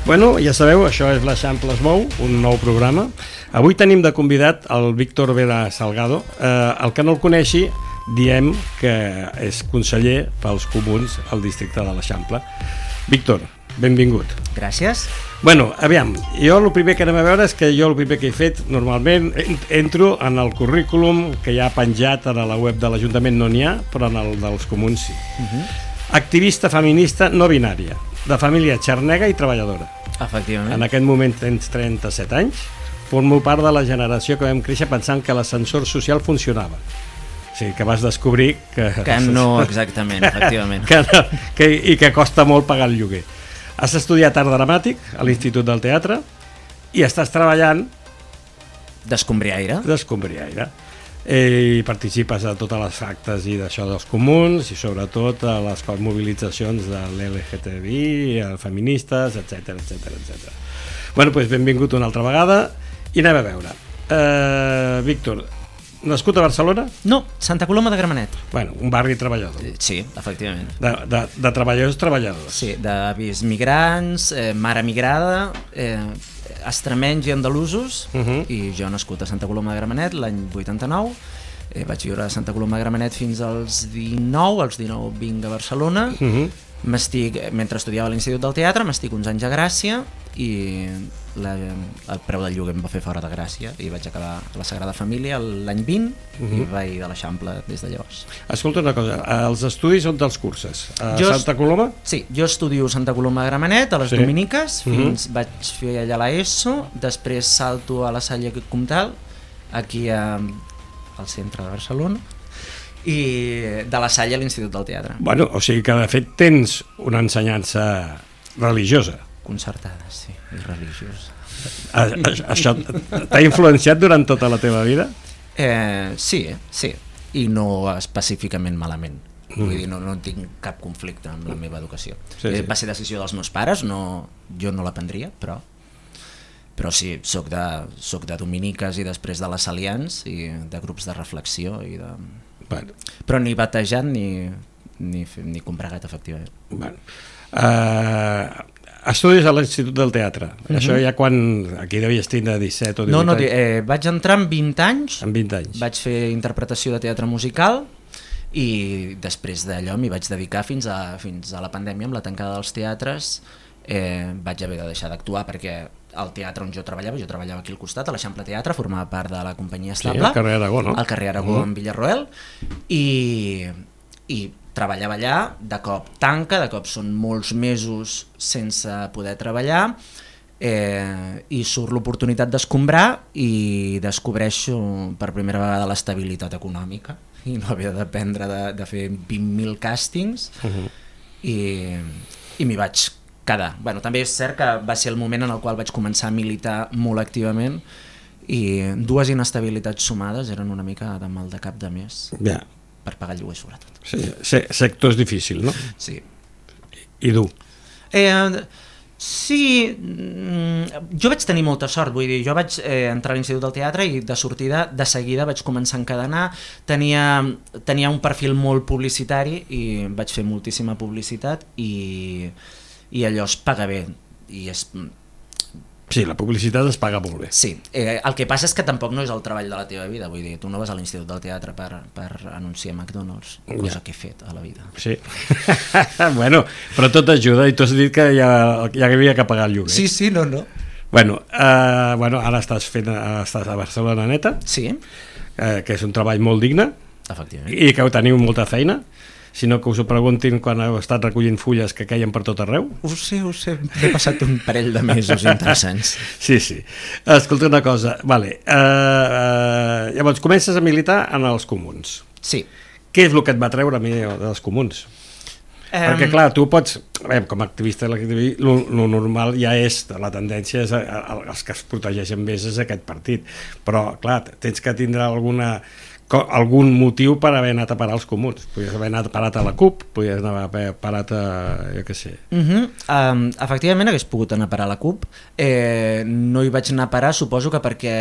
Bueno, ja sabeu, això és l'Eixample es mou, un nou programa. Avui tenim de convidat el Víctor Vera Salgado. El que no el coneixi, diem que és conseller pels comuns al districte de l'Eixample. Víctor, benvingut. Gràcies. Bueno, aviam, jo el primer que anem a veure és que jo el primer que he fet, normalment entro en el currículum que hi ha penjat a la web de l'Ajuntament, no n'hi ha, però en el dels comuns sí. Activista feminista no binària, de família xarnega i treballadora. Efectivament. En aquest moment tens 37 anys, formo part de la generació que vam créixer pensant que l'ascensor social funcionava. O sigui, que vas descobrir que no exactament, efectivament. I que costa molt pagar el lloguer. Has estudiat art dramàtic a l'Institut del Teatre i estàs treballant d'escombriaire. I participes a totes les actes i d'això dels comuns i sobretot a les mobilitzacions de l'LGTBI, feministes, etc. Bueno, doncs benvingut una altra vegada i anem a veure. Víctor, nascut a Barcelona? No, Santa Coloma de Gramenet. Bueno, un barri treballador. Sí, efectivament. De treballadors. Sí, d'avis migrants, mare migrada, extremenys i andalusos, i jo nascut a Santa Coloma de Gramenet l'any 89, vaig viure a Santa Coloma de Gramenet fins als 19, als 19 vinc a Barcelona, mentre estudiava a l'Institut del Teatre, m'estic uns anys a Gràcia i el preu del lloguer em va fer fora de Gràcia i vaig acabar a la Sagrada Família l'any 20 i vaig de l'Eixample des de llavors. Escolta una cosa, els estudis on te'ls curses? A Santa Coloma? Sí, jo estudio a Santa Coloma de Gramenet, a les Dominiques, vaig fer allà l'ESO, després salto a la Salle Comtal, aquí al centre de Barcelona, i de la Salle a l'Institut del Teatre. Bueno, o sigui que de fet tens una ensenyança religiosa. Concertada, sí, i religiosa. Això t'ha influenciat durant tota la teva vida? Sí, i no específicament malament. Vull dir, no tinc cap conflicte amb la meva educació. Va ser decisió dels meus pares, jo no l'aprendria, però sí, soc de dominiques i després de les Salians i de grups de reflexió i de... Però ni batejat ni compregat, efectivament. Estudis a l'Institut del Teatre. Això ja quan... Aquí devies tindre 17 o 18 anys. No, vaig entrar amb 20 anys. Amb 20 anys. Vaig fer interpretació de teatre musical i després d'allò m'hi vaig dedicar fins a la pandèmia, amb la tancada dels teatres. Vaig haver de deixar d'actuar perquè el teatre on jo treballava aquí al costat, a l'Eixample Teatre, formava part de la companyia estable. Sí, al carrer Aragó, no? Al carrer Aragó, en Villarroel. I treballava allà, de cop tanca, de cop són molts mesos sense poder treballar i surt l'oportunitat d'escombrar i descobreixo per primera vegada l'estabilitat econòmica i no haver de dependre de fer 20.000 càstings i m'hi vaig quedar. Bueno, també és cert que va ser el moment en el qual vaig començar a militar molt activament i dues inestabilitats sumades eren una mica de mal de cap de mes. Ja. Per pagar el lloguer, sobretot. Sí, sector és difícil, no? Sí. I dur? Sí, jo vaig tenir molta sort, vull dir, jo vaig entrar a l'Institut del Teatre i de sortida, de seguida vaig començar a encadenar, tenia un perfil molt publicitari i vaig fer moltíssima publicitat i allò es paga bé i és... Sí, la publicitat es paga molt bé. Sí, el que passa és que tampoc no és el treball de la teva vida, vull dir, tu no vas a l'Institut del Teatre per anunciar McDonald's, cosa que he fet a la vida. Sí, bueno, però tot ajuda i tu has dit que ja havia que pagar el lloguer. Sí, no. Bueno, ara estàs a Barcelona Neta, sí, que és un treball molt digne, efectivament, i que teniu molta feina. Si no, que us ho preguntin quan heu estat recollint fulles que queien per tot arreu. Ho sé, he passat un parell de mesos interessants. Sí. Escolta una cosa, vale. Llavors comences a militar en els comuns. Sí. Què és el que et va treure a mi dels comuns? Perquè clar, tu pots, com a activista, lo normal ja és, la tendència és els que es protegeixen més és aquest partit, però clar, tens que tindre algun motiu per haver anat a parar als comuns. Podries haver anat parat a la CUP, podries haver parat a... jo què sé. Efectivament hagués pogut anar a parar a la CUP, no hi vaig anar a parar, suposo que perquè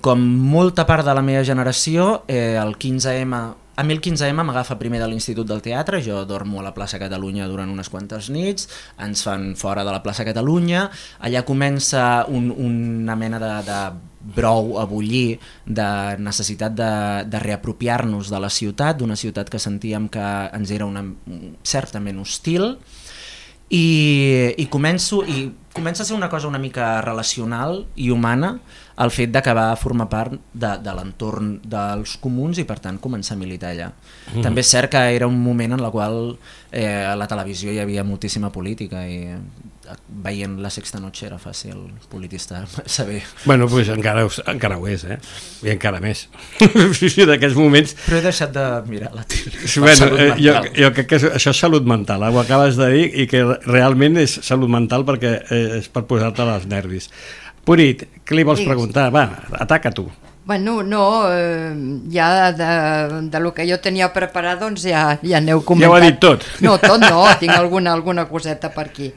com molta part de la meva generació, el 15M A mi el 15M m'agafa primer de l'Institut del Teatre, jo dormo a la plaça Catalunya durant unes quantes nits, ens fan fora de la plaça Catalunya, allà comença una mena de brou a bullir, de necessitat de reapropiar-nos de la ciutat, d'una ciutat que sentíem que ens era certament hostil, i comença a ser una cosa una mica relacional i humana el fet d'acabar a formar part de l'entorn dels comuns i per tant començar a militar allà. També és cert que era un moment en el qual a la televisió hi havia moltíssima política i veient La Sexta Noche era fàcil polititzar, saber. Bueno, doncs encara ho és, i encara més. D'aquests moments... Però he deixat de mirar la tele. Bueno, jo crec que això és salut mental, ho acabes de dir, i que realment és salut mental perquè és per posar-te als nervis. Purit, què li vols preguntar? Va, ataca tu. Bueno, no, ja de lo que jo tenia preparat doncs ja aneu comentat. Ja ho ha dit tot. No, tot no, tinc alguna coseta per aquí.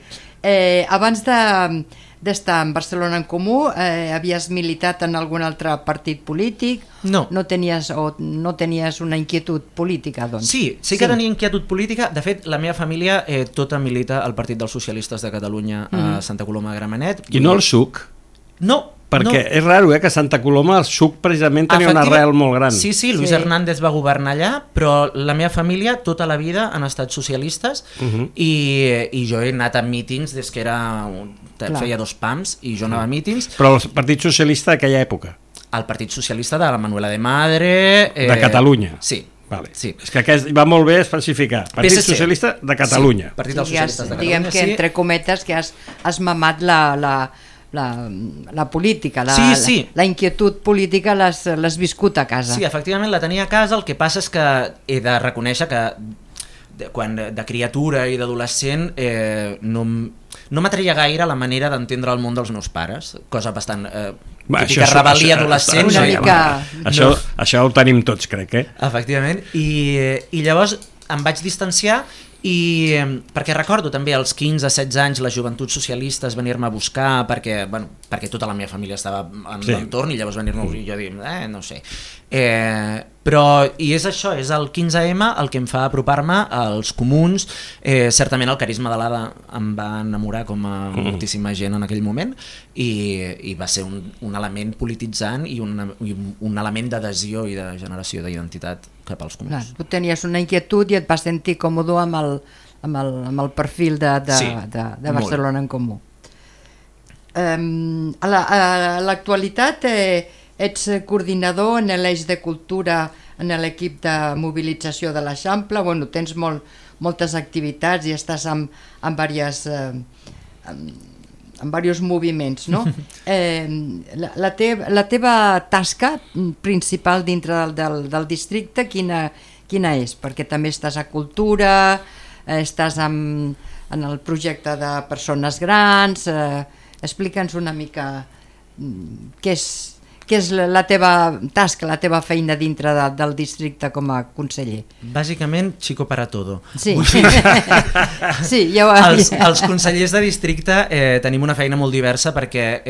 Abans d'estar en Barcelona en Comú, havies militat en algun altre partit polític? No. No tenies una inquietud política, doncs? Sí que tenia inquietud política. De fet, la meva família tota milita al Partit dels Socialistes de Catalunya a Santa Coloma de Gramenet. I no el SUC? No. Perquè és raro, que a Santa Coloma el SUC precisament tenia una arrel molt gran. Sí, Luis Hernández va governar allà, però la meva família tota la vida han estat socialistes i jo he anat a mítings des que feia 2 pams i jo anava a mítings. Però el Partit Socialista d'aquella època? El Partit Socialista de la Manuela de Madre... De Catalunya? Sí. Vale. Sí. És que aquest va molt bé especificar. Partit PSC. Socialista de Catalunya. Sí, Partit dels Socialistes de Catalunya. Diguem que entre cometes que has mamat la política, la inquietud política l'has viscut a casa. Sí, efectivament la tenia a casa, el que passa és que he de reconèixer que quan de criatura i d'adolescent no m'atreia gaire la manera d'entendre el món dels meus pares, cosa bastant típica rebel·lia adolescent. Això ho tenim tots, crec. Efectivament, i llavors em vaig distanciar perquè recordo també als 15-16 anys les joventuts socialistes venir-me a buscar perquè tota la meva família estava en l'entorn i llavors venir-me i jo dir, no sé. Però, i és això, és el 15M el que em fa apropar-me als comuns. Certament el carisma de l'Ada em va enamorar com a moltíssima gent en aquell moment i va ser un element polititzant i un element d'adhesió i de generació d'identitat cap als comuns. Clar, tu tenies una inquietud i et vas sentir còmode amb el perfil de Barcelona en Comú. A l'actualitat ets coordinador en l'eix de cultura en l'equip de mobilització de l'Eixample, tens moltes activitats i estàs en diversos moviments, no? La teva tasca principal dintre del districte quina és? Perquè també estàs a cultura, estàs en el projecte de persones grans, explica'ns una mica què és la teva tasca, la teva feina dintre del districte com a conseller. Bàsicament, chico para todo. Sí, sí, ja ho ha dit. Els consellers de districte tenim una feina molt diversa perquè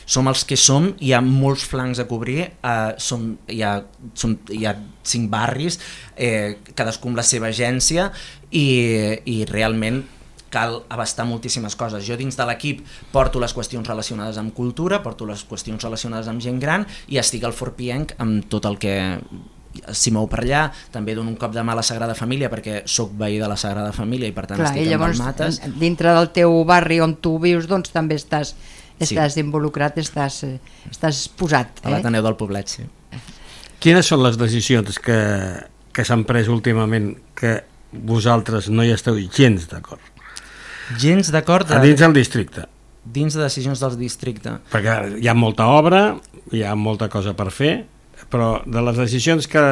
som els que som, hi ha molts flancs a cobrir, hi ha 5 barris, cadascú amb la seva agència i realment cal abastar moltíssimes coses. Jo dins de l'equip porto les qüestions relacionades amb cultura, porto les qüestions relacionades amb gent gran i estic al Fort Pienc amb tot el que s'hi mou per allà. També dono un cop de mà a la Sagrada Família perquè sóc veí de la Sagrada Família i per tant estic amb el Mates. Dintre del teu barri on tu vius doncs també estàs involucrat, estàs posat. A l'Ateneu del Poblet, sí. Quines són les decisions que s'han pres últimament que vosaltres no hi esteu gens d'acord? Gens d'acord dins del districte. Dins de decisions del districte. Perquè hi ha molta obra, hi ha molta cosa per fer, però de les decisions que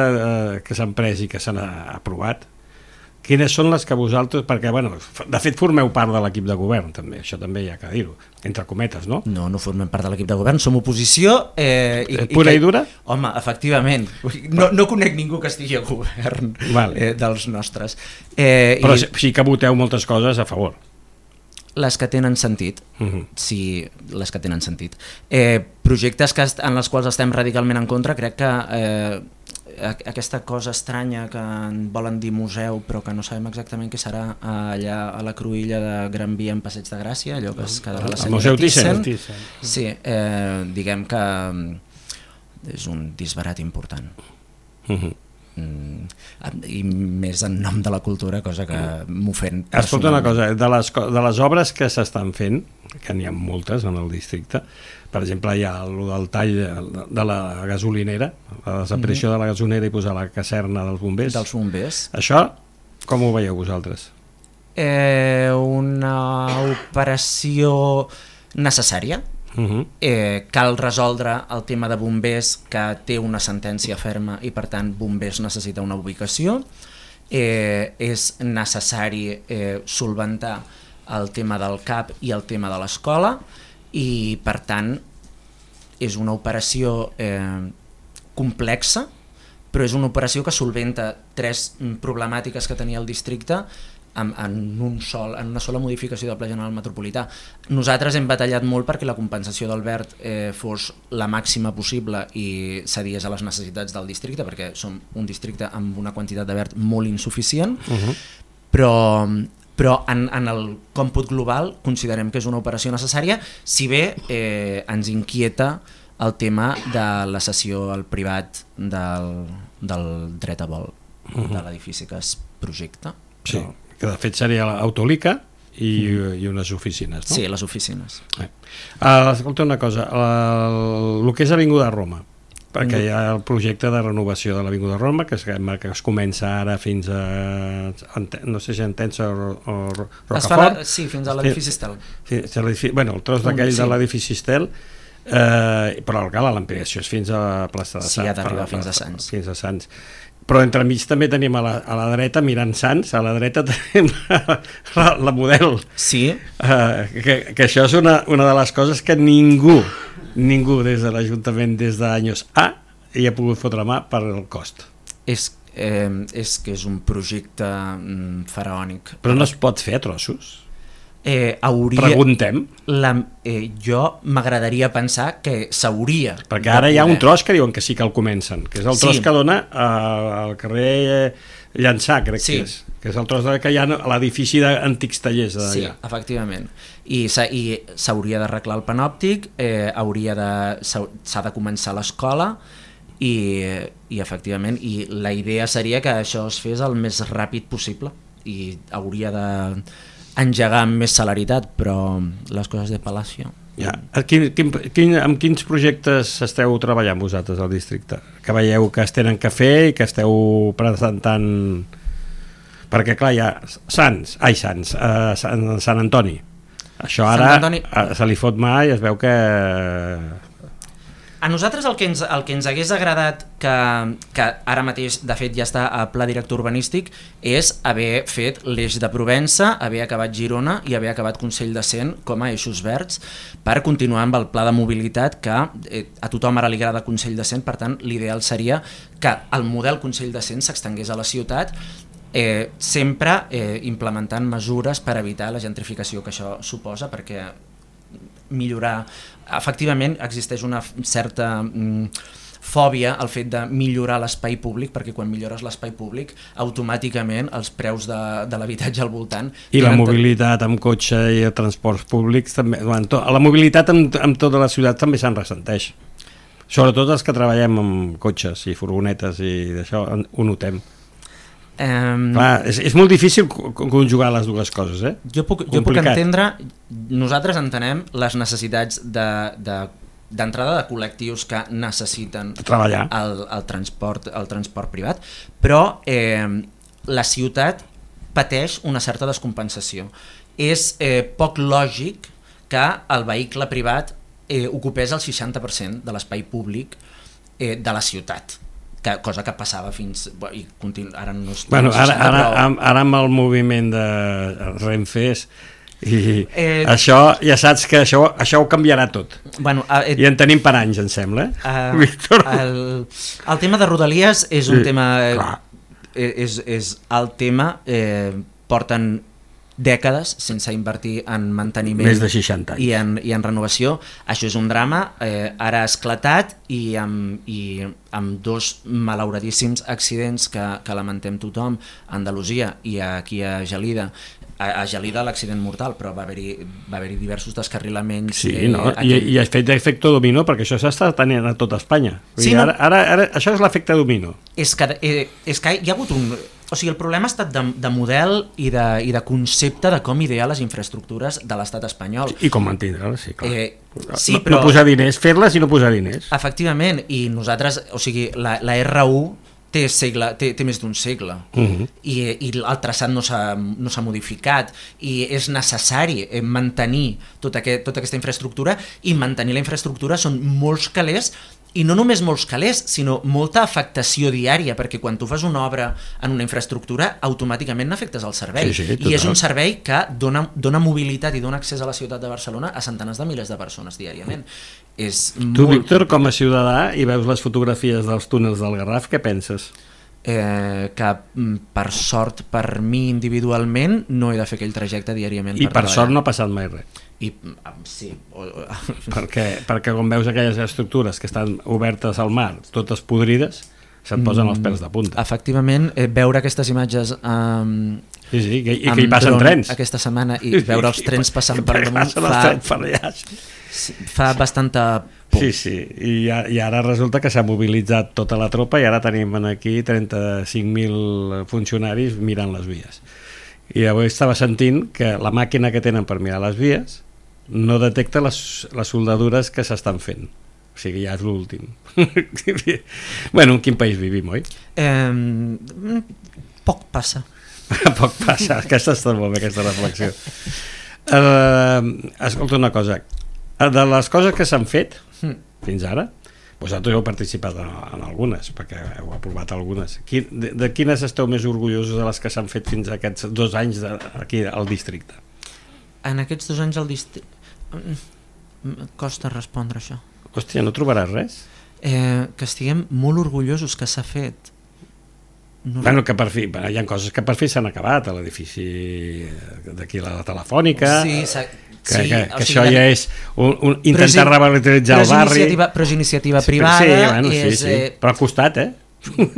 s'han pres i que s'han aprovat, quines són les que vosaltres... Perquè, de fet, formeu part de l'equip de govern, també. Això també hi ha que dir-ho, entre cometes, no? No formem part de l'equip de govern, som oposició... Pura i dura? Home, efectivament. No conec ningú que estigui a govern dels nostres. Però sí que voteu moltes coses a favor. Les que tenen sentit, sí, les que tenen sentit. Projectes en els quals estem radicalment en contra, crec que aquesta cosa estranya que en volen dir museu però que no sabem exactament què serà allà a la cruïlla de Gran Via en Passeig de Gràcia, allò que es quedarà la Museu Thyssen. Sí, diguem que és un disbarat important. I més en nom de la cultura, cosa que m'ofèn. Escolta una cosa, de les obres que s'estan fent, que n'hi ha moltes en el districte, per exemple hi ha el tall de la gasolinera, la desaparició de la gasolinera i posar la caserna dels bombers. Dels bombers. Això com ho veieu vosaltres? Una operació necessària. Cal resoldre el tema de bombers, que té una sentència ferma i per tant bombers necessita una ubicació. És necessari solventar el tema del CAP i el tema de l'escola i per tant és una operació complexa, però és una operació que solventa 3 problemàtiques que tenia el districte en una sola modificació del Pla General Metropolità. Nosaltres hem batallat molt perquè la compensació del verd fos la màxima possible i cedies a les necessitats del districte, perquè som un districte amb una quantitat de verd molt insuficient, però en el còmput global considerem que és una operació necessària, si bé ens inquieta el tema de la cessió al privat del dret a vol de l'edifici que es projecta. Sí, que de fet seria l'Autolica i unes oficines, no? Sí, les oficines. Escolta una cosa, el que és Avinguda Roma, perquè hi ha el projecte de renovació de l'Avinguda Roma que es comença ara fins a no sé si Entença o Rocafort. Sí, fins a l'edifici Estel. Bueno, el tros d'aquell de l'edifici Estel, però l'ampliació és fins a la plaça de Sants. Sí, ha d'arribar fins a Sants. Fins a Sants. Però entremig també tenim a la dreta, mirant Sants, a la dreta tenim la Model. Sí. Que això és una de les coses que ningú des de l'Ajuntament des d'anys hi ha pogut fotre mà per el cost. És que és un projecte faraònic. Però no es pot fer a trossos? Preguntem. Jo m'agradaria pensar que s'hauria. Perquè ara hi ha un tros que diuen que sí que el comencen, que és el tros que dona al carrer Llançà, crec que és el tros que hi ha a l'edifici d'antics tallers d'allà. Sí, efectivament. I s'hauria d'arreglar el panòptic, s'ha de començar l'escola i efectivament la idea seria que això es fes el més ràpid possible i hauria de engegar amb més celeritat, però les coses de Palacio. Amb quins projectes esteu treballant vosaltres al districte? Que veieu que es tenen que fer i que esteu presentant... Perquè clar, hi ha Sant Antoni. Això ara se li fot mà i es veu que... A nosaltres el que ens hagués agradat, que ara mateix de fet ja està a pla director urbanístic, és haver fet l'eix de Provença, haver acabat Girona i haver acabat Consell de Cent com a eixos verds per continuar amb el pla de mobilitat que a tothom ara li agrada Consell de Cent, per tant l'ideal seria que el model Consell de Cent s'estengués a la ciutat, sempre implementant mesures per evitar la gentrificació que això suposa, perquè millorar... Efectivament existeix una certa fòbia al fet de millorar l'espai públic, perquè quan millores l'espai públic automàticament els preus de l'habitatge al voltant... I la mobilitat amb cotxe i transports públics també... La mobilitat amb tota la ciutat també se'n ressenteix. Sobretot els que treballem amb cotxes i furgonetes i d'això ho notem. Clar, és molt difícil conjugar les dues coses, Jo puc entendre, nosaltres entenem les necessitats d'entrada de col·lectius que necessiten treballar el transport privat, però la ciutat pateix una certa descompensació. És poc lògic que el vehicle privat ocupés el 60% de l'espai públic de la ciutat. Cosa que passava fins... Ara no és... Ara amb el moviment de Renfes i això, ja saps que això ho canviarà tot. I en tenim per anys, em sembla. Víctor? El tema de Rodalies és un tema... És el tema... Porten dècades sense invertir en manteniment més de 60 anys. i en renovació. Això és un drama, ara ha esclatat i amb dos malauradíssims accidents que lamentem tothom a Andalusia i aquí a Gelida. A Gelida l'accident mortal, però va haver-hi diversos descarrilaments. Sí, no? I ha fet efecte dominó, perquè això s'està tenint a tota Espanya. Sí, no? Ara, això és l'efecte dominó. És que hi ha hagut un... O sigui, el problema ha estat de model i de concepte de com idear les infraestructures de l'estat espanyol. I com mantindre-les, sí, clar. Sí, però... No posar diners, fer-les i no posar diners. Efectivament, i nosaltres, o sigui, la R1 té més d'un segle i el traçat no s'ha modificat i és necessari mantenir tota aquesta infraestructura, i mantenir la infraestructura són molts calés, i no només molts calés, sinó molta afectació diària, perquè quan tu fas una obra en una infraestructura automàticament n'afectes el servei, i és un servei que dona mobilitat i dona accés a la ciutat de Barcelona a centenars de milers de persones diàriament. Tu, Víctor, com a ciutadà, i veus les fotografies dels túnels del Garraf, què penses? Que per sort, per mi individualment, no he de fer aquell trajecte diàriament. I per sort no ha passat mai res. Sí. Perquè quan veus aquelles estructures que estan obertes al mar, totes podrides, se't posen els pèls de punta. Efectivament, veure aquestes imatges i que hi passen trens aquesta setmana i veure els trens passant per damunt fa bastanta por. Sí, i ara resulta que s'ha mobilitzat tota la tropa i ara tenim aquí 35.000 funcionaris mirant les vies. I avui estava sentint que la màquina que tenen per mirar les vies no detecta les soldadures que s'estan fent. O sigui, ja és l'últim. Bueno, en quin país vivim, oi? Poc passa. Poc passa, aquesta està molt bé, aquesta reflexió. Escolta una cosa, de les coses que s'han fet fins ara, vosaltres heu participat en algunes, perquè heu aprovat algunes. De quines esteu més orgullosos de les que s'han fet fins a aquests 2 anys aquí al districte? En aquests 2 anys al districte... Costa respondre això. Hòstia, no trobaràs res? Que estiguem molt orgullosos que s'ha fet. Bueno, que per fi, hi ha coses que per fi s'han acabat, a l'edifici d'aquí, la Telefònica, que això ja és intentar revitalitzar el barri. Però és iniciativa privada. Sí, però ha costat,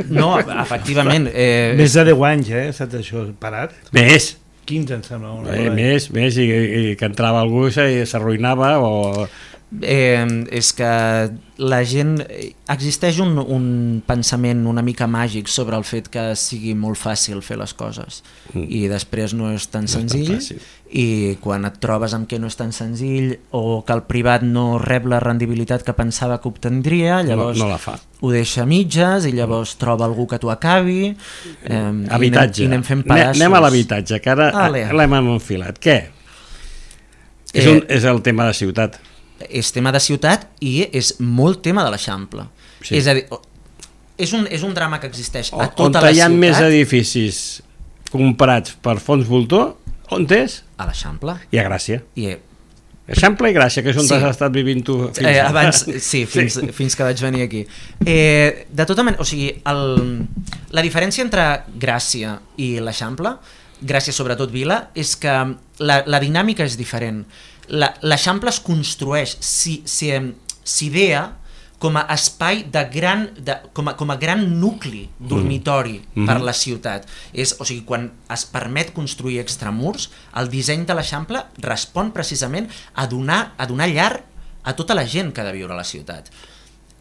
No, efectivament. Més de 10 anys, estat això parat. Més. 15, em sembla. Més, i que entrava algú i s'arruïnava o... És que la gent... Existeix un pensament una mica màgic sobre el fet que sigui molt fàcil fer les coses i després no és tan senzill, i quan et trobes amb que no és tan senzill o que el privat no rep la rendibilitat que pensava que obtendria, llavors no la fa. Ho deixa a mitges i llavors troba algú que t'ho acabi. Habitatge. I anem fent pedaços. Anem a l'habitatge, que ara l'hem enfilat. Què? És el tema de ciutat. És tema de ciutat i és molt tema de l'Eixample. És a dir, és un drama que existeix a tota la ciutat. On hi ha més edificis comprats per fons voltor, on és? A l'Eixample. I a Gràcia. Eixample i Gràcia, que és on has estat vivint tu fins ara. Abans, fins que vaig venir aquí. De tota manera, o sigui, la diferència entre Gràcia i l'Eixample, Gràcia sobretot Vila, és que la dinàmica és diferent. L'Eixample es construeix, s'idea com a espai com a gran nucli dormitori per la ciutat. O sigui, quan es permet construir extramurs, el disseny de l'Eixample respon precisament a donar llar a tota la gent que ha de viure a la ciutat.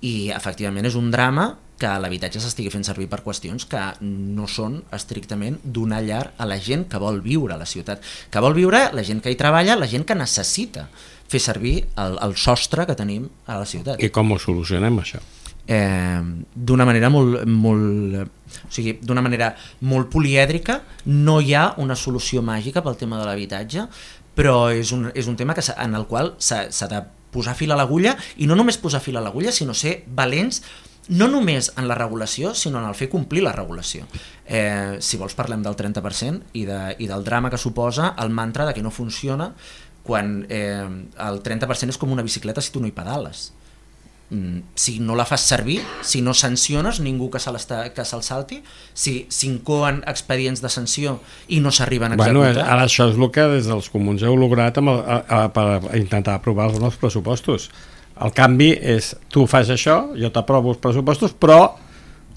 I efectivament és un drama que l'habitatge s'estigui fent servir per qüestions que no són estrictament donar llar a la gent que vol viure a la ciutat, que vol viure la gent que hi treballa, la gent que necessita fer servir el sostre que tenim a la ciutat. I com ho solucionem, això? D'una manera d'una manera molt polièdrica. No hi ha una solució màgica pel tema de l'habitatge, però és un tema en el qual s'ha de posar fil a l'agulla, i no només posar fil a l'agulla, sinó ser valents no només en la regulació, sinó en el fer complir la regulació. Si vols parlem del 30% i del drama que suposa el mantra de que no funciona quan el 30% és com una bicicleta si tu no hi pedales. si no la fas servir, si no sanciones ningú que se'l salti, si s'incoen expedients de sanció i no s'arriben a executar. Ara això és el que des dels comuns heu lograt per intentar aprovar els nous pressupostos. El canvi és, tu fas això, jo t'aprovo els pressupostos, però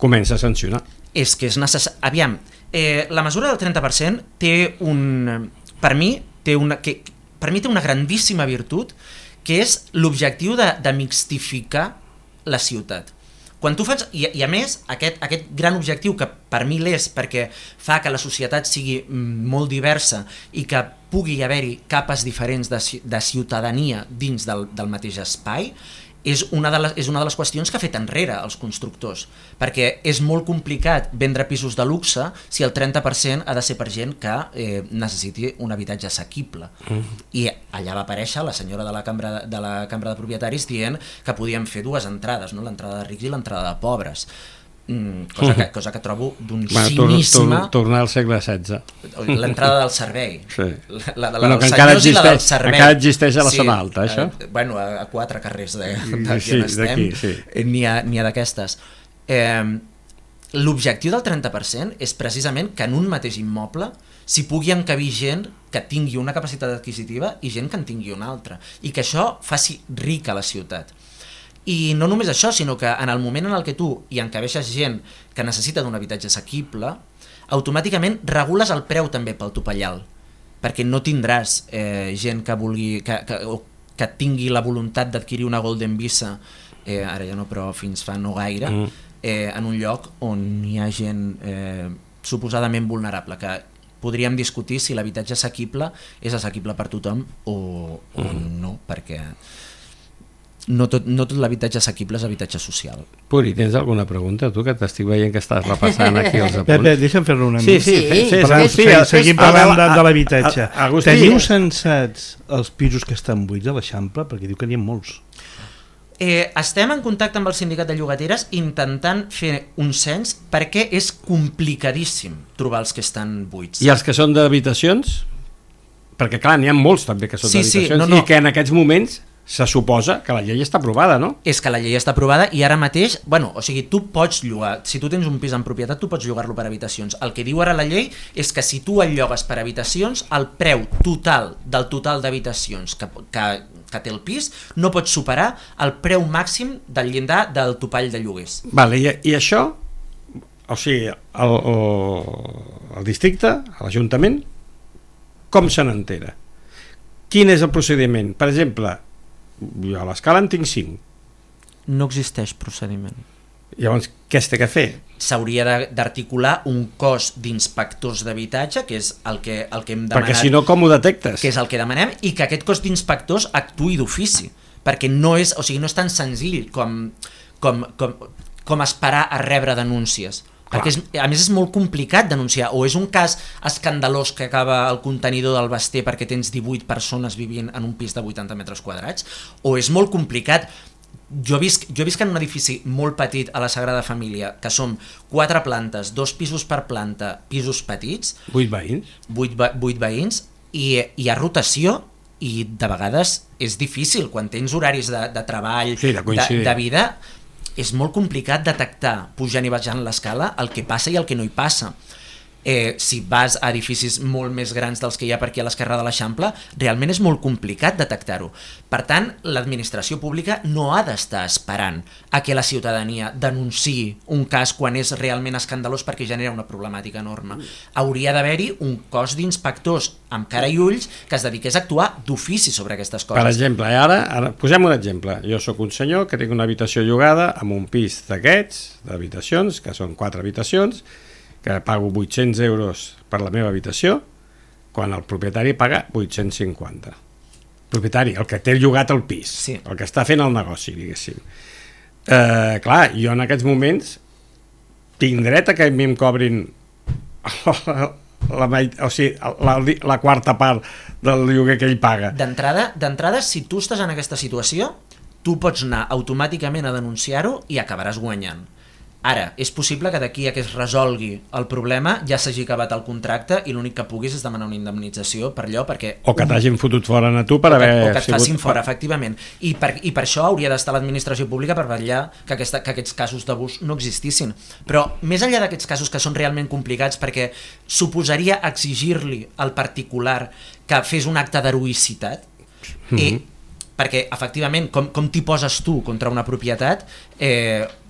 comença a sancionar. És que és necessari. Aviam, la mesura del 30% té per mi té una grandíssima virtut, que és l'objectiu de mixtificar la ciutat. Quan tu fas, i a més, aquest gran objectiu, que per mi l'és perquè fa que la societat sigui molt diversa i que pugui haver-hi capes diferents de ciutadania dins del mateix espai, és una de les qüestions que ha fet enrere els constructors, perquè és molt complicat vendre pisos de luxe si el 30% ha de ser per gent que necessiti un habitatge assequible. I allà va aparèixer la senyora de la Cambra de Propietaris dient que podíem fer dues entrades, no? L'entrada de rics i l'entrada de pobres. Cosa que trobo d'un cinisme. Tornar al segle XVI. L'entrada del servei. Sí. La dels senyors i la del servei. Encara existeix a la zona alta, això? Bueno, a 4 carrers d'aquí on estem, sí. N'hi ha d'aquestes. L'objectiu del 30% és precisament que en un mateix immoble s'hi pugui encabir gent que tingui una capacitat adquisitiva i gent que en tingui una altra, i que això faci rica la ciutat. I no només això, sinó que en el moment en el que tu hi encabeixes gent que necessita d'un habitatge assequible, automàticament regules el preu també pel topallal, perquè no tindràs gent que vulgui que tingui la voluntat d'adquirir una Golden Visa, ara ja no, però fins fa no gaire, en un lloc on hi ha gent suposadament vulnerable, que podríem discutir si l'habitatge assequible és assequible per tothom o no, perquè no tot l'habitatge assequible és habitatge social. Puri, tens alguna pregunta, tu, que t'estic veient que estàs repassant aquí els apunts? Pepe, deixa'm fer-lo una mica. Sí, seguim parlant de l'habitatge. Agustí, teniu censats els pisos que estan buits a l'Eixample? Perquè diu que n'hi ha molts. Estem en contacte amb el sindicat de llogateres intentant fer un cens, perquè és complicadíssim trobar els que estan buits. I els que són d'habitacions? Perquè clar, n'hi ha molts també que són d'habitacions, no. I que en aquests moments se suposa que la llei està aprovada, no? És que la llei està aprovada i ara mateix, tu pots llogar, si tu tens un pis en propietat tu pots llogar-lo per habitacions. El que diu ara la llei és que si tu el llogues per habitacions, el preu total d'habitacions que té el pis no pot superar el preu màxim del llindar del topall de lloguers. Vale, i això, o sigui, el districte, l'Ajuntament, com se n'entera? Quin és el procediment? Per exemple, jo a l'escala en tinc 5. No existeix procediment. Llavors, què es té que fer? S'hauria d'articular un cos d'inspectors d'habitatge, que és el que hem demanat. Perquè si no, com ho detectes? Que és el que demanem, i que aquest cos d'inspectors actuï d'ofici, perquè no és tan senzill com esperar a rebre denúncies. Perquè a més és molt complicat denunciar, o és un cas escandalós que acaba el contenidor del Basté perquè tens 18 persones vivint en un pis de 80 metres quadrats, o és molt complicat. Jo visc en un edifici molt petit a la Sagrada Família, que som 4 plantes, 2 pisos per planta, pisos petits, 8 veïns, 8 veïns, i hi ha rotació, i de vegades és difícil quan tens horaris de treball, de vida. És molt complicat detectar, pujant i baixant l'escala, el que passa i el que no hi passa. Si vas a edificis molt més grans dels que hi ha per aquí a l'esquerra de l'Eixample, realment és molt complicat detectar-ho. Per tant, l'administració pública no ha d'estar esperant a que la ciutadania denunciï un cas quan és realment escandalós perquè genera una problemàtica enorme. Hauria d'haver-hi un cos d'inspectors amb cara i ulls que es dediqués a actuar d'ofici sobre aquestes coses. Per exemple, ara posem un exemple. Jo sóc un senyor que tinc una habitació llogada amb un pis d'aquests, d'habitacions, que són 4 habitacions, que pago 800 euros per la meva habitació, quan el propietari paga 850. Propietari, el que té llogat el pis, sí. El que està fent el negoci, diguéssim. Clar, jo en aquests moments tinc dret a que a mi em cobrin la quarta part del lloguer que ell paga. D'entrada, si tu estàs en aquesta situació, tu pots anar automàticament a denunciar-ho i acabaràs guanyant. Ara, és possible que d'aquí a que es resolgui el problema ja s'hagi acabat el contracte i l'únic que puguis és demanar una indemnització per allò, perquè... O que t'hagin fotut fora a tu per haver... O que et facin fora, efectivament. I per això hauria d'estar l'administració pública per vetllar que aquests casos d'abús no existissin. Però més enllà d'aquests casos que són realment complicats, perquè suposaria exigir-li al particular que fes un acte d'heroïcitat, perquè efectivament com t'hi poses tu contra una propietat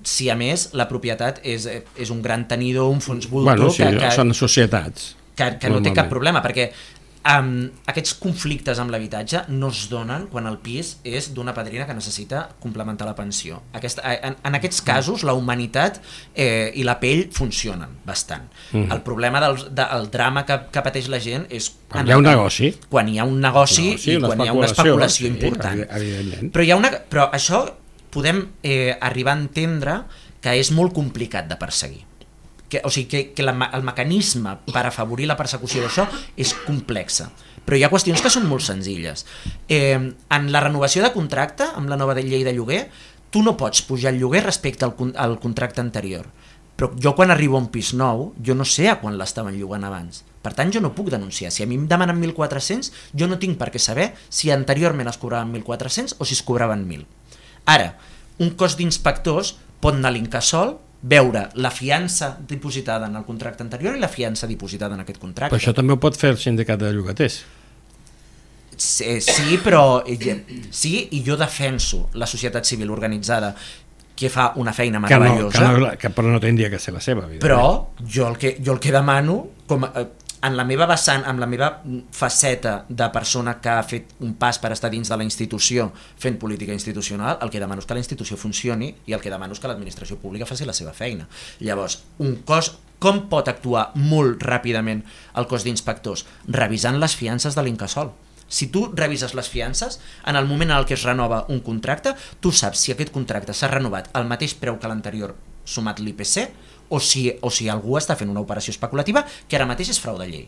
si a més la propietat és un gran tenidor, un fons voltor són societats que no té cap problema, perquè aquests conflictes amb l'habitatge no es donen quan el pis és d'una padrina que necessita complementar la pensió. En aquests casos la humanitat i la pell funcionen bastant. El problema del drama que pateix la gent és quan hi ha un negoci, i quan hi ha una especulació important. Però això podem arribar a entendre que és molt complicat de perseguir. O sigui, que el mecanisme per afavorir la persecució d'això és complexa, però hi ha qüestions que són molt senzilles. En la renovació de contracte, amb la nova llei de lloguer, tu no pots pujar el lloguer respecte al contracte anterior, però jo quan arribo a un pis nou, jo no sé a quan l'estaven llogant abans, per tant jo no puc denunciar. Si a mi em demanen 1.400, jo no tinc per què saber si anteriorment es cobraven 1.400 o si es cobraven 1.000. Ara, un cos d'inspectors pot anar a l'Incasòl, veure la fiança dipositada en el contracte anterior i la fiança dipositada en aquest contracte. Però això també ho pot fer el sindicat de llogaters. Sí, però sí, i jo defenso la societat civil organitzada que fa una feina meravellosa. Però no tindria que ser la seva, evidentment. Però jo el que demano, en la meva vessant, amb la meva faceta de persona que ha fet un pas per estar dins de la institució fent política institucional, el que demano és que la institució funcioni i el que demano és que l'administració pública faci la seva feina. Llavors, un cos, com pot actuar molt ràpidament el cos d'inspectors? Revisant les fiances de l'Incasòl. Si tu revises les fiances, en el moment en el que es renova un contracte, tu saps si aquest contracte s'ha renovat al mateix preu que l'anterior sumat l'IPC o si algú està fent una operació especulativa que ara mateix és frau de llei.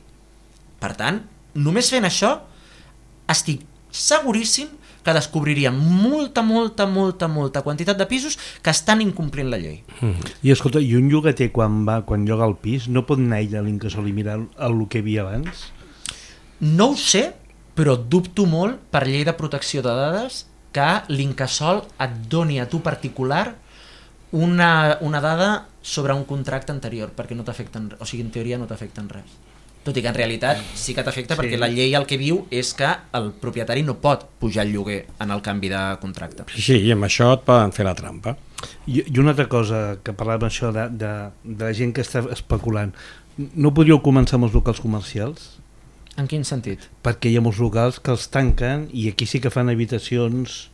Per tant, només fent això, estic seguríssim que descobriríem molta quantitat de pisos que estan incomplint la llei. I escolta, i un llogater quan lloga el pis no pot anar ell a l'Incasòl i mirar el que hi havia abans? No ho sé, però dubto molt per llei de protecció de dades que l'Incasòl et doni a tu particular una dada sobre un contracte anterior, perquè no t'afecten, o sigui, en teoria no t'afecten res. Tot i que en realitat sí que t'afecta, perquè la llei el que diu és que el propietari no pot pujar el lloguer en el canvi de contracte. Sí, i amb això et poden fer la trampa. I una altra cosa, que parlàvem això de la gent que està especulant, no podríeu començar amb els locals comercials? En quin sentit? Perquè hi ha molts locals que els tanquen i aquí sí que fan habitacions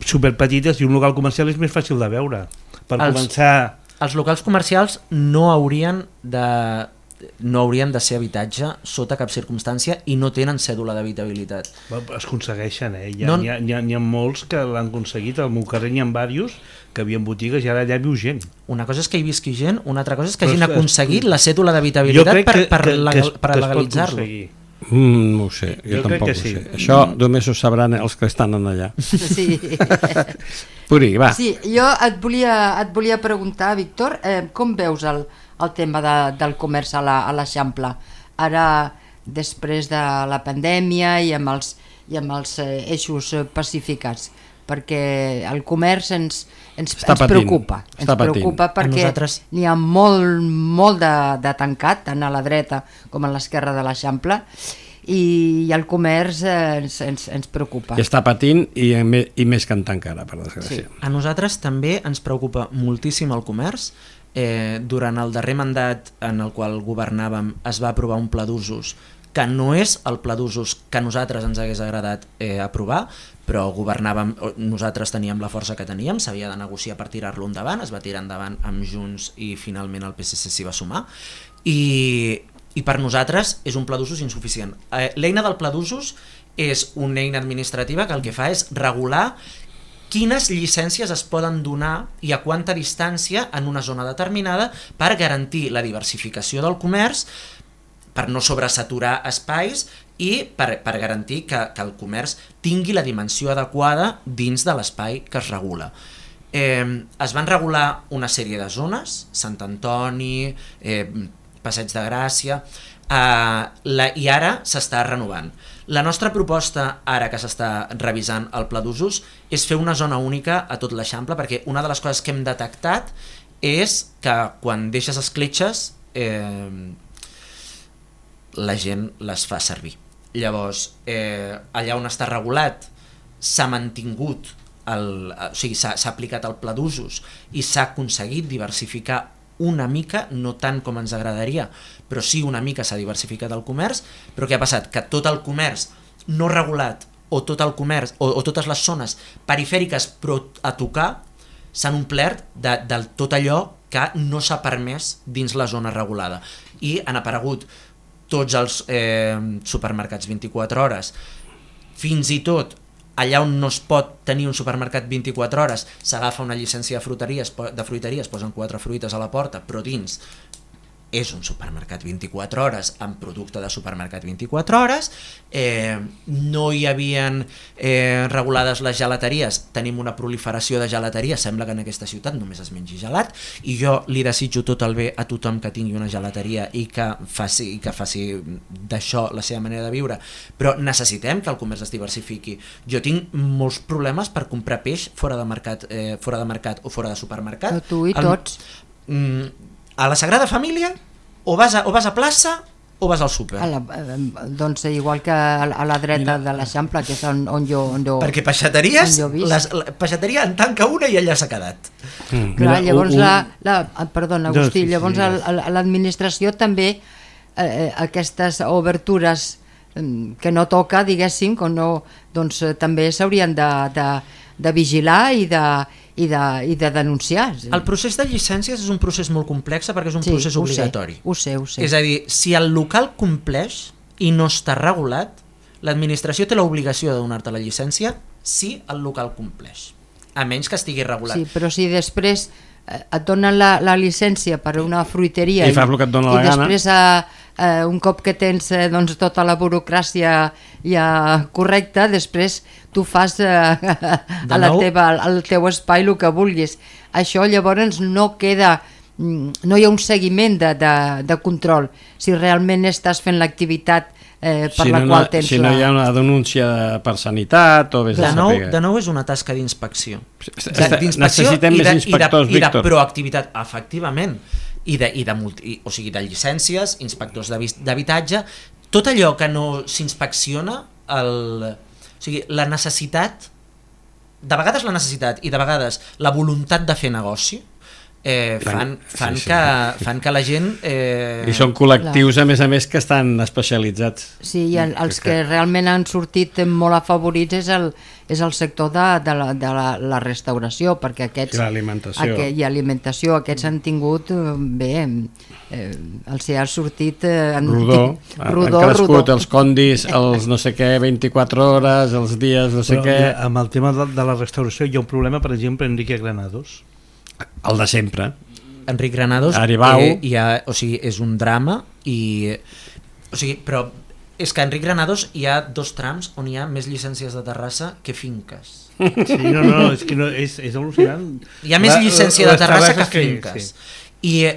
superpetites i un local comercial és més fàcil de veure. Per començar... Els locals comercials no haurien de ser habitatge sota cap circumstància i no tenen cèdula d'habitabilitat. Es aconsegueixen, N'hi ha molts que l'han aconseguit. Al meu carrer n'hi ha diversos que havien botigues i ara allà viu gent. Una cosa és que hi visqui gent, una altra cosa és que hagin aconseguit la cèdula d'habitabilitat per legalitzar-lo. No ho sé, jo tampoc ho sé. Això només ho sabran els que estan allà. Sí. Puri, va. Sí, jo et volia preguntar, Víctor, com veus el tema del comerç a l'Eixample? Ara, després de la pandèmia i amb els eixos pacificats, perquè el comerç ens preocupa. Ens preocupa perquè n'hi ha molt de tancat, tant a la dreta com a l'esquerra de l'Eixample, i el comerç ens preocupa. I està patint i més cantant encara, per desgràcia. Sí. A nosaltres també ens preocupa moltíssim el comerç. Durant el darrer mandat en el qual governàvem es va aprovar un pla d'usos que no és el pla d'usos que a nosaltres ens hagués agradat aprovar, però governàvem, nosaltres teníem la força que teníem, s'havia de negociar per tirar-lo endavant, es va tirar endavant amb Junts i finalment el PSC s'hi va sumar, i per nosaltres és un pla d'usos insuficient. L'eina del pla d'usos és una eina administrativa que el que fa és regular quines llicències es poden donar i a quanta distància en una zona determinada per garantir la diversificació del comerç, per no sobresaturar espais i per garantir que el comerç tingui la dimensió adequada dins de l'espai que es regula. es van regular una sèrie de zones, Sant Antoni, Passeig de Gràcia, i ara s'està renovant. La nostra proposta, ara que s'està revisant el pla d'usos, és fer una zona única a tot l'Eixample, perquè una de les coses que hem detectat és que quan deixes escletxes la gent les fa servir. Llavors, allà on està regulat s'ha mantingut, o sigui, s'ha aplicat el pla d'usos i s'ha aconseguit diversificar una mica, no tant com ens agradaria, però sí una mica s'ha diversificat el comerç. Però què ha passat? Que tot el comerç no regulat o tot el comerç o totes les zones perifèriques però a tocar s'han omplert de tot allò que no s'ha permès dins la zona regulada, i han aparegut tots els supermercats 24 hores, fins i tot allà on no es pot tenir un supermercat 24 hores s'agafa una llicència de fruiteria, es posen 4 fruites a la porta, però dins és un supermercat 24 hores amb producte de supermercat 24 hores. No hi havien regulades les gelateries, tenim una proliferació de gelateria, sembla que en aquesta ciutat només es mengi gelat, i jo li desitjo tot el bé a tothom que tingui una gelateria i que faci d'això la seva manera de viure, però necessitem que el comerç es diversifiqui. Jo tinc molts problemes per comprar peix fora de mercat o fora de supermercat. Tu i tots. A la Sagrada Família o vas a plaça o vas al súper? Doncs igual que a la dreta de l'Eixample, que és on jo... Perquè peixateries, peixateria en tanca una i allà s'ha quedat. Clar, llavors perdona, Agustí, llavors l'administració també aquestes obertures que no toca, diguéssim, doncs també s'haurien de vigilar i de denunciar. El procés de llicències és un procés molt complex perquè és un procés obligatori. Ho sé. És a dir, si el local compleix i no està regulat, l'administració té l'obligació de donar-te la llicència si el local compleix, a menys que estigui regulat. Sí, però si després et donen la llicència per una fruiteria i fas el que et dona la gana, després un cop que tens tota la burocràcia ja correcta, després tu fas al teu espai el que vulguis. Això llavors no queda, no hi ha un seguiment de control si realment estàs fent l'activitat per la qual tens si no hi ha una denúncia per sanitat o de nou és una tasca d'inspecció. Necessitem més inspectors, i de proactivitat, efectivament, i de llicències, inspectors d'habitatge, tot allò que no s'inspecciona, la necessitat, de vegades la necessitat i de vegades la voluntat de fer negoci fan que la gent... I són col·lectius, a més que estan especialitzats. Sí, i els que realment han sortit molt afavorits és el sector de la restauració, perquè aquests... I l'alimentació. I alimentació, aquests han tingut, els ha sortit... Rodó, han crescut els condis, els no sé què, 24 hores, els dies no sé què... Amb el tema de la restauració hi ha un problema, per exemple, Enrique Granados. El de sempre. Enric Granados és un drama però és que a Enric Granados hi ha 2 trams on hi ha més llicències de Terrassa que finques. Sí, és que és al·lucinant. Hi ha més llicència de Terrassa que finques. I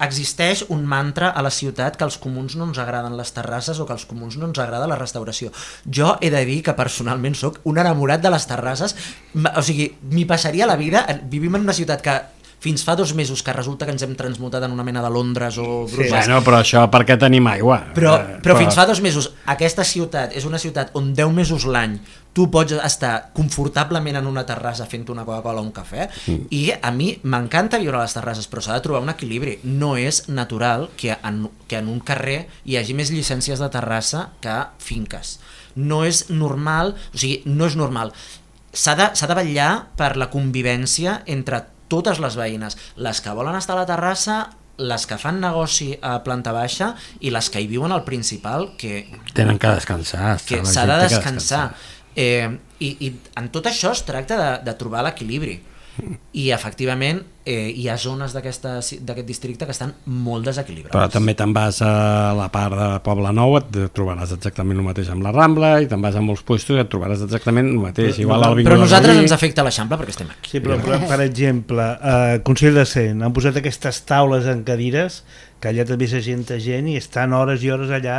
existeix un mantra a la ciutat que als comuns no ens agraden les terrasses o que als comuns no ens agrada la restauració. Jo he de dir que personalment sóc un enamorat de les terrasses, o sigui, m'hi passaria la vida. Vivim en una ciutat que fins fa 2 mesos que resulta que ens hem transmutat en una mena de Londres o Brussel·les. Sí, bueno, però això perquè tenim aigua. Però fins fa 2 mesos aquesta ciutat és una ciutat on 10 mesos l'any tu pots estar confortablement en una terrassa fent una Coca-Cola o un cafè, i a mi m'encanta viure a les terrasses, però s'ha de trobar un equilibri. No és natural que en un carrer hi hagi més llicències de terrassa que finques. No és normal, s'ha de vetllar per la convivència entre totes les veïnes, les que volen estar a la terrassa, les que fan negoci a planta baixa i les que hi viuen al principal, que tenen que descansar, que s'ha de descansar. I en tot això es tracta de trobar l'equilibri. i efectivament hi ha zones d'aquest districte que estan molt desequilibrades. Però també te'n vas a la part de Poblenou, et trobaràs exactament el mateix amb la Rambla, i te'n vas a molts puestos i et trobaràs exactament el mateix. Però a nosaltres ens afecta l'Eixample perquè estem aquí. Sí, però per exemple, Consell de Cent, han posat aquestes taules en cadires, que allà també s'assenta gent i estan hores i hores allà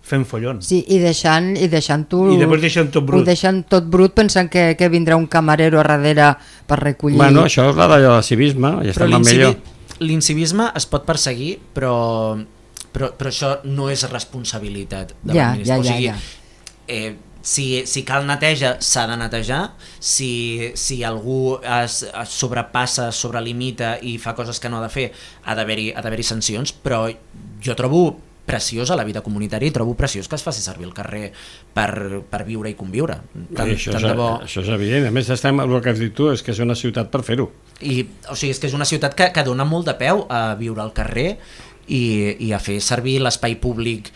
fent follons. Sí, i deixant-ho... I després deixen tot brut. Ho deixen tot brut pensant que vindrà un camarero a darrere per recollir... Bueno, això és d'allò de civisme, i estem amb millor. L'incivisme es pot perseguir, però això no és responsabilitat de l'administració. Si cal neteja, s'ha de netejar. Si algú es sobrepassa, sobrelimita i fa coses que no ha de fer, ha d'haver-hi sancions, però jo trobo preciós a la vida comunitària i trobo preciós que es faci servir el carrer per viure i conviure. Això és evident. A més, el que has dit tu és que és una ciutat per fer-ho. O sigui, és que és una ciutat que dona molt de peu a viure al carrer i a fer servir l'espai públic.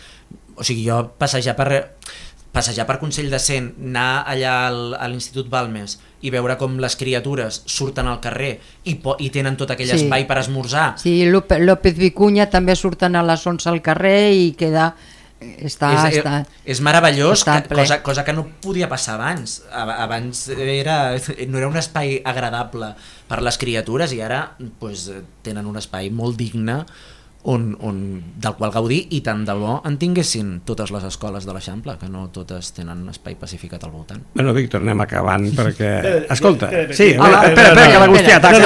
O sigui, jo passejar per Consell de Cent, anar allà a l'Institut Balmes i veure com les criatures surten al carrer i tenen tot aquell espai per esmorzar. Sí, López Vicuña també surten a les 11 al carrer i queda... És meravellós, cosa que no podia passar abans. Abans no era un espai agradable per les criatures i ara tenen un espai molt digne del qual gaudir, i tant de bo en tinguessin totes les escoles de l'Eixample, que no totes tenen un espai pacificat al voltant. Bueno, Víctor, anem acabant perquè... Escolta, sí, espera, que l'Agustí ataca.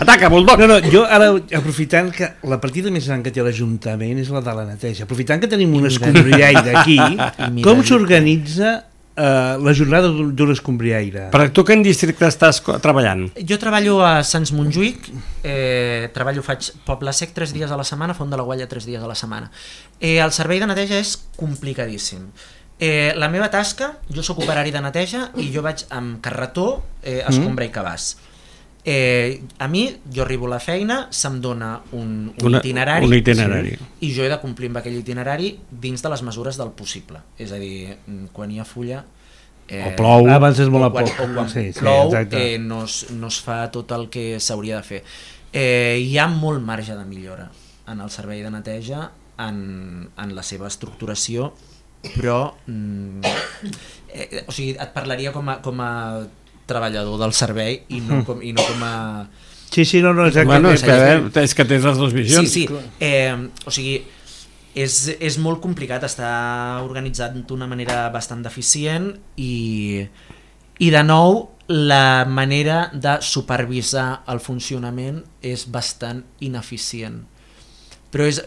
Ataca, Bulldog. No, jo ara, aprofitant que la partida més gran que té l'Ajuntament és la de la neteja, aprofitant que tenim un escombriaire aquí, com s'organitza la jornada d'un escombriaire? Per tu quin districte estàs treballant? Jo treballo a Sants Montjuïc, faig Poble Sec 3 dies a la setmana, Font de la Gualla 3 dies a la setmana. El servei de neteja és complicadíssim. La meva tasca, jo soc operari de neteja i jo vaig amb carretó, escombra i cabàs. A mi, jo arribo a la feina, se'm dona un itinerari i jo he de complir amb aquell itinerari dins de les mesures del possible. És a dir, quan hi ha fulla o plou, abans és molt a poc, o quan plou no es fa tot el que s'hauria de fer. Hi ha molt marge de millora en el servei de neteja, en la seva estructuració, però o sigui, et parlaria com a treballador del servei i no com a... Sí, no, exactament. Bueno, és que tens les dues visions. Sí. O sigui, és molt complicat estar organitzat d'una manera bastant deficient i de nou la manera de supervisar el funcionament és bastant ineficient. Però és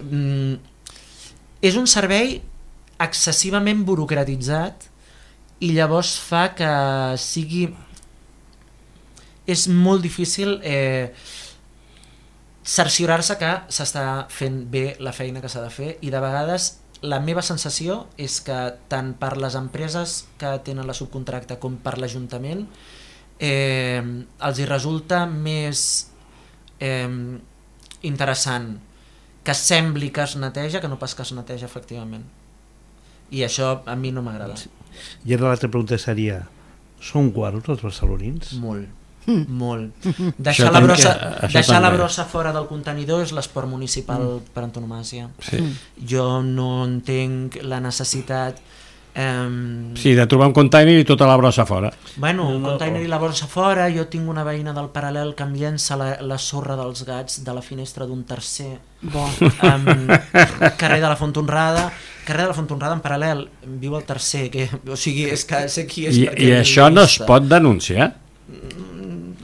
un servei excessivament burocratitzat i llavors fa que sigui... És molt difícil cerciorar-se que s'està fent bé la feina que s'ha de fer, i de vegades la meva sensació és que tant per les empreses que tenen la subcontracta com per l'Ajuntament els hi resulta més interessant que sembli que es neteja que no pas que es neteja efectivament, i això a mi no m'agrada. I ara l'altra pregunta seria: són guarros els barcelonins? Molt. Deixar la brossa fora del contenidor és l'esport municipal per antonomàsia. Jo no entenc la necessitat Sí, de trobar un container i tota la brossa fora. Bueno, un container i la brossa fora. Jo tinc una veïna del Paral·lel que em llença la sorra dels gats de la finestra d'un tercer. Carrer de la Font Honrada en Paral·lel, viu el tercer, o sigui, és que sé qui és. I això no es pot denunciar?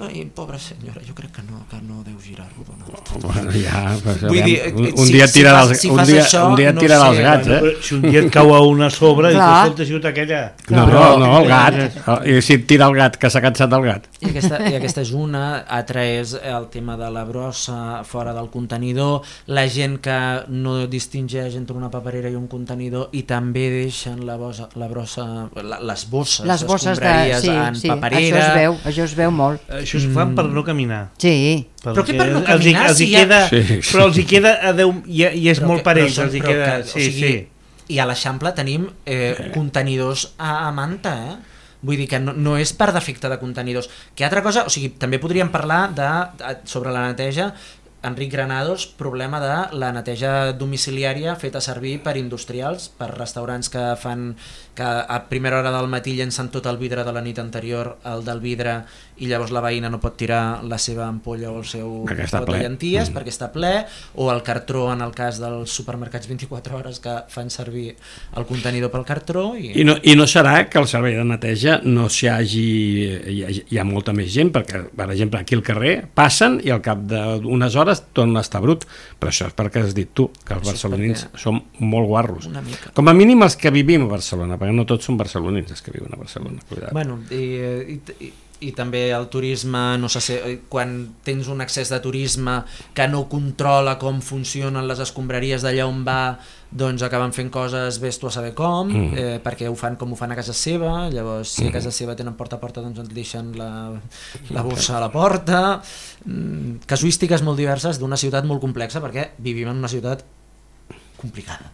Ai, pobra senyora, jo crec que no deu girar-ho d'una volta. Bueno, ja, un dia et tirarà els gats, Si un dia et cau a una sobre i t'ha sigut aquella... No, el gat. I si et tira el gat, que s'ha cansat el gat. I aquesta és una. Altra és el tema de la brossa fora del contenidor, la gent que no distingeix entre una paperera i un contenidor i també deixen les bosses escombraries en paperera. Això es veu molt. Això es fan per no caminar. Sí. Però què per no caminar? Però els hi queda a 10 i és molt per ells. I a l'Eixample tenim contenidors a manta, Vull dir que no és per defecte de contenidors. Que altra cosa, o sigui, també podríem parlar sobre la neteja. Enric Granados, problema de la neteja domiciliària feta servir per industrials, per restaurants que fan que a primera hora del matí llencen tot el vidre de la nit anterior al del vidre i llavors la veïna no pot tirar la seva ampolla o el seu pot de llenties perquè està ple, o el cartró en el cas dels supermercats 24 hores que fan servir el contenidor pel cartró. I no serà que el servei de neteja no s'hi hi ha molta més gent, perquè per exemple aquí al carrer passen i al cap d'unes hores torna a estar brut, però això és perquè has dit tu, que els barcelonins som molt guarros. Com a mínim els que vivim a Barcelona, perquè no tots són barcelonins els que viuen a Barcelona. Bueno, i també el turisme, no sé, quan tens un excés de turisme que no controla com funcionen les escombraries d'allà on va, doncs acaben fent coses vés tu a saber com, perquè ho fan com ho fan a casa seva, llavors si a casa seva tenen porta a porta doncs et deixen la bossa a la porta. Casuístiques molt diverses d'una ciutat molt complexa, perquè vivim en una ciutat complicada.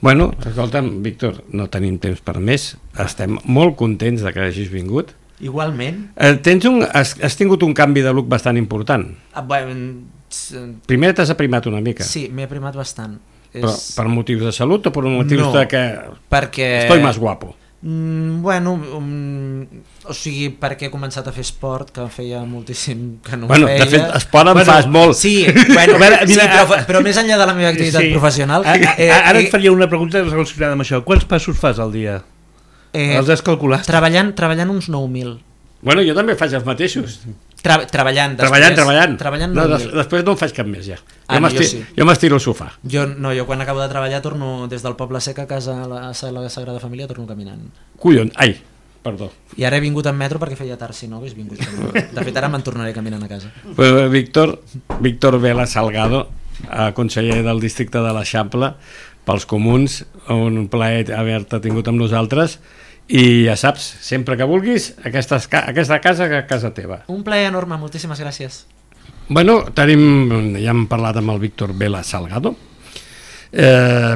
Bueno, escolta'm, Víctor, no tenim temps per més, estem molt contents de que hagis vingut. Igualment. Has tingut un canvi de look bastant important. Primer t'has aprimat una mica. Sí, m'he aprimat bastant. Però per motius de salut o per motius de que estoy más guapo? Bueno, o sigui, perquè he començat a fer esport, que feia moltíssim que no feia. De fet, esport en fas molt. Sí, però més enllà de la meva activitat professional. Ara et faria una pregunta relacionada amb això. Quants passos fas al dia? Els has calculat? Treballant uns 9.000. Bueno, jo també faig els mateixos. Treballant. No, després no en faig cap més ja. Jo m'estiro al sofà. Jo quan acabo de treballar torno des del Poble Sec a casa a la Sagrada Família, torno caminant. Collons, perdó. I ara he vingut en metro perquè feia tard, si no hagués vingut caminant. De fet ara me'n tornaré caminant a casa. Víctor Vela Salgado, conseller del districte de l'Eixample pels Comuns, un plaer haver-te tingut amb nosaltres. I ja saps, sempre que vulguis, aquesta casa que casa teva. Un plaer enorme, moltíssimes gràcies. Bueno, ja hem parlat amb el Víctor Vela Salgado.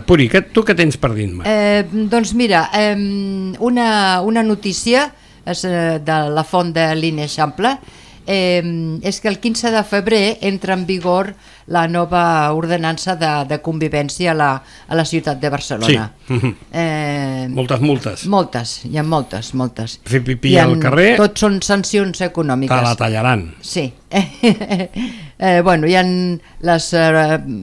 Puri, tu què tens per dir-me? Doncs mira, una notícia de la font de l'Eixample és que el 15 de febrer entra en vigor la nova ordenança de convivència a la ciutat de Barcelona. Sí. Moltes multes. Hi ha moltes. Fer pipí al carrer... Tot són sancions econòmiques. Te la tallaran. Sí. Bueno, hi ha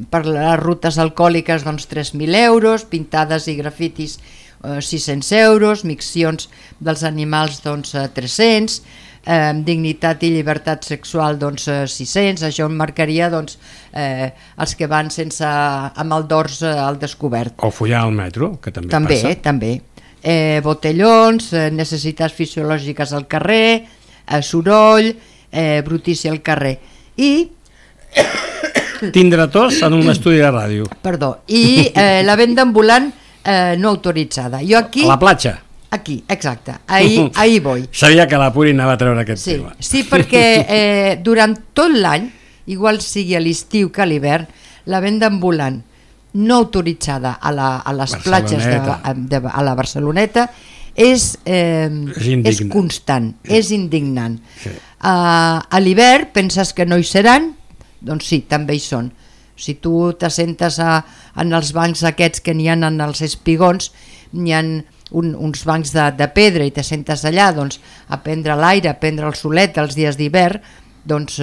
per les rutes alcohòliques doncs 3.000 euros, pintades i grafitis 600 euros, miccions dels animals doncs 300, dignitat i llibertat sexual doncs 600, això marcaria doncs els que van sense amb el dors al descobert. O follar al metro, que també passa. També. Botellons, necessitats fisiològiques al carrer, soroll, brutícia al carrer. I tindre tos en un estudi de ràdio. Perdó. I la venda ambulant no autoritzada. Jo aquí... A la platja. Aquí, exacte, ahí voy. Sabia que la Puri anava a treure aquest tema. Sí, perquè durant tot l'any, igual sigui a l'estiu que a l'hivern, la venda ambulant no autoritzada a les platges a la Barceloneta és constant, és indignant. Sí. A l'hivern penses que no hi seran? Doncs sí, també hi són. Si tu t'assentes en els bancs aquests que n'hi ha en els espigons, n'hi ha uns bancs de pedra i t'assentes allà doncs, a prendre l'aire, a prendre el solet els dies d'hivern, doncs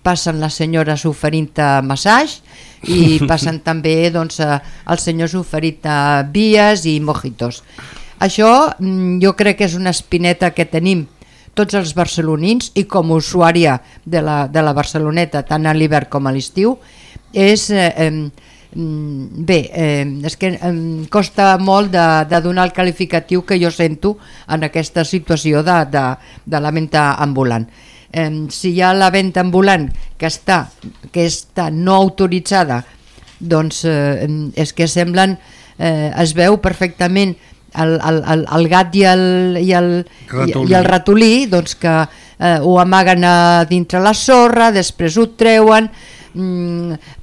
passen les senyores oferint-te massatge i passen també doncs, els senyors oferint-te vies i mojitos. Això jo crec que és una espineta que tenim tots els barcelonins i com a usuària de la Barceloneta tant a l'hivern com a l'estiu és... és que em costa molt de donar el qualificatiu que jo sento en aquesta situació de la venda ambulant. Si hi ha la venda ambulant que està no autoritzada, doncs és que semblen, es veu perfectament el gat i el ratolí doncs que ho amaguen a dintre la sorra, després ho treuen,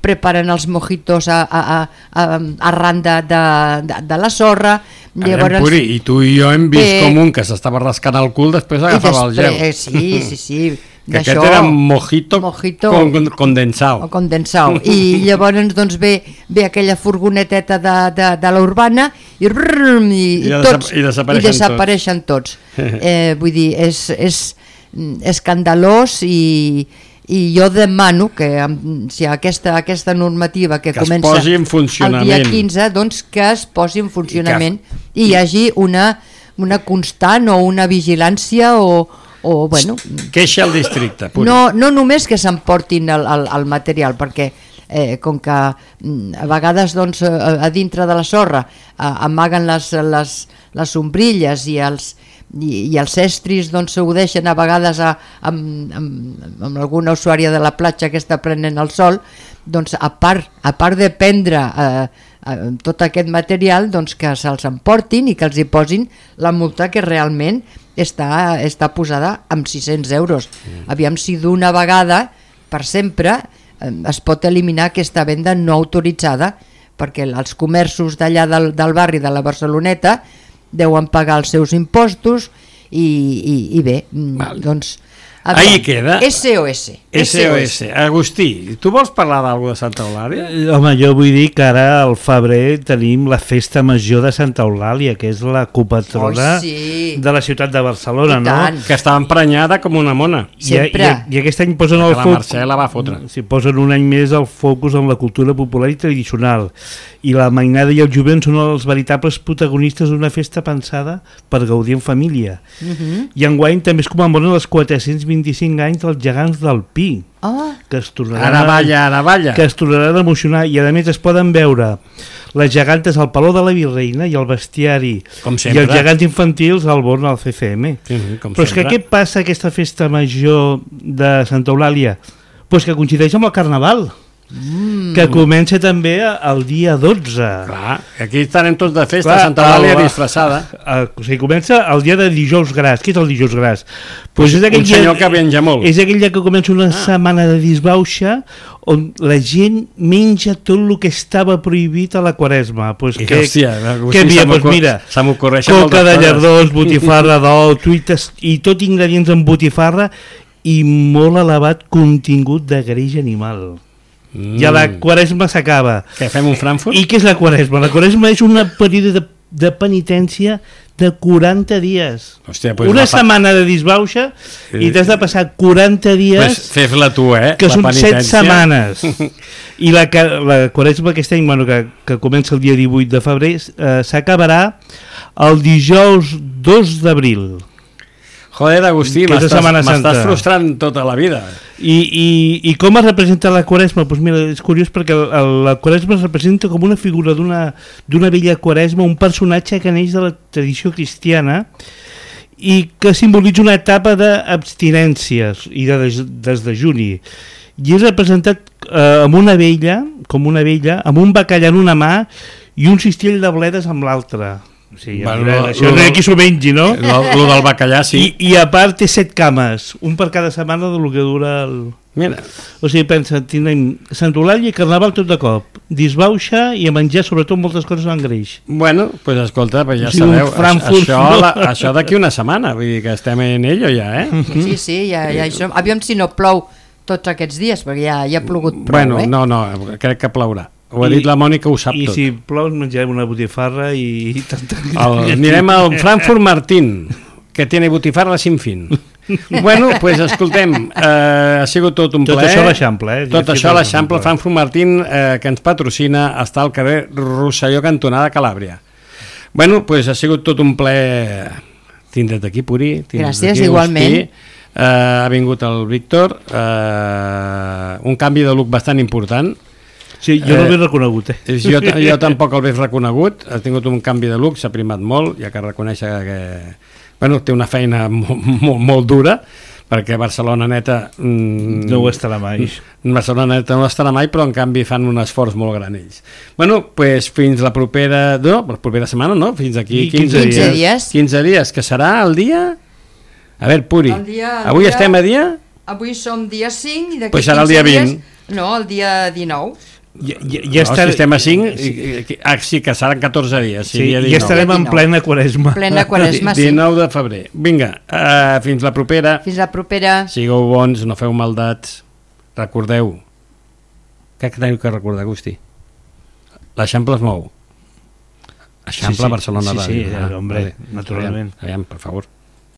preparen els mojitos arran de la sorra, Llavors, Puri, i tu i jo hem vist com un que s'estava rascant el cul, després agafava el gel. Sí. Que aquest era mojito condensado. I llavors doncs ve aquella furgoneteta de la Urbana i desapareixen tots. Vull dir, és escandalós i jo demano que si aquesta normativa que comença es posi en funcionament el dia 15, doncs que es posi en funcionament i hi hagi una constant o una vigilància o bueno, queixa al districte. No només que s'emportin el material, perquè com que a vegades doncs, a dintre de la sorra amaguen les sombrilles i els estris doncs, ho deixen a vegades amb alguna usuària de la platja que està prenent el sol, doncs a part de prendre tot aquest material, doncs que se'ls emportin i que els hi posin la multa que realment està posada amb 600 euros. Aviam si d'una vegada per sempre es pot eliminar aquesta venda no autoritzada, perquè els comerços d'allà del barri de la Barceloneta deuen pagar els seus impostos i bé, doncs ahí queda. SOS. Agustí, tu vols parlar d'alguna de Santa Eulàlia? Home, jo vull dir que ara al febrer tenim la festa major de Santa Eulàlia, que és la copatrona de la ciutat de Barcelona, no? Que estava emprenyada com una mona. Sempre. I aquest any posen el focus... La Mercè la va fotre. Posen un any més el focus en la cultura popular i tradicional. I la mainada i el jovent són els veritables protagonistes d'una festa pensada per gaudir en família. I enguany també es commemoren els 425 anys dels gegants del Pi, que es tornaran a emocionar, i a més es poden veure les gegantes al Palau de la Virreina i el bestiari i els gegants infantils al Born al CCM. Però és que què passa aquesta festa major de Santa Eulàlia? Pues que coincideix amb el Carnaval, que comença també el dia 12. Clar, aquí estarem tots de festa, Santa Eulàlia disfressada. O sigui, comença el dia de dijous gras. Què és el dijous gras? Pues un senyor que menja molt. És aquell dia que comença una setmana de disbauxa on la gent menja tot el que estava prohibit a la Quaresma. Pues què dia? Pues mira, coca de llardons, botifarra d'ou, truites i tot ingredients en botifarra i molt elevat contingut de greix animal. I a la Quaresma s'acaba. Què, fem un Frankfurt? I què és la Quaresma? La Quaresma és un període de penitència de 40 dies. Hòstia, pues una setmana de disbauxa i t'has de passar 40 dies, pues fes-la tu, que són 7 setmanes. I la Quaresma aquest any, bueno, que comença el dia 18 de febrer, s'acabarà el dijous 2 d'abril. Joder, Agustí, m'estàs frustrant tota la vida. I com es representa la Quaresma? Pues mira, és curiós perquè la Quaresma es representa com una figura d'una vella Quaresma, un personatge que neix de la tradició cristiana i que simbolitza una etapa d'abstinències i de desdejuni. I és representat amb una vella, amb un bacallà en una mà i un cistell de bledes amb l'altra. Sí, això no hi ha qui s'ho mengi, no? Lo del bacallà, sí. I a part té 7 cames, un per cada setmana del que dura el... Mira. O sigui, pensa, tindrem Santa Eulàlia i Carnaval tot de cop, disbauxa i a menjar sobretot moltes coses en greix. Bueno, doncs pues escolta, pues ja sabeu, això d'aquí una setmana, vull dir que estem en ello ja, Sí, ja això. Aviam si no plou tots aquests dies, perquè ja ha plogut prou, Bueno, no, crec que plourà. Ho ha dit la Mònica, ho sap tot. I si plou menjarem una botifarra i tanta... Anirem al Frankfurt Martín, que tiene botifarra sin fin. Bueno, pues escoltem, ha sigut tot un plaer. Tot això a l'Eixample, Tot això a l'Eixample. Frankfurt Martín, que ens patrocina, està al carrer Rosselló, cantonada Calàbria. Bueno, pues ha sigut tot un plaer tindre't aquí, Puri. Gràcies, igualment. Ha vingut el Víctor, un canvi de look bastant important. Sí, jo no l'he reconegut. Jo tampoc el veig reconegut, ha tingut un canvi de look, s'ha primat molt, ja que reconèixer que té una feina molt dura, perquè Barcelona Neta no ho estarà mai. Barcelona Neta no ho estarà mai, però en canvi fan un esforç molt gran ells. Bueno, doncs fins la propera setmana, no? Fins aquí 15 dies. 15 dies, que serà el dia... A veure, Puri, avui estem a dia... Avui som dia 5 i d'aquí pues serà el dia 20. No, el dia 19. Ja el sistema 5, sí, que seran 14 dies. Sí, ja estarem en plena Quaresma. Plena Quaresma, sí. 19 de febrer. Vinga, fins la propera. Fins la propera. Sigueu bons, no feu maldats. Recordeu. Què teniu que recordar, Agustí? L'Eixample es mou. Eixample, Barcelona. Sí, hombre, naturalment. Aviam, per favor.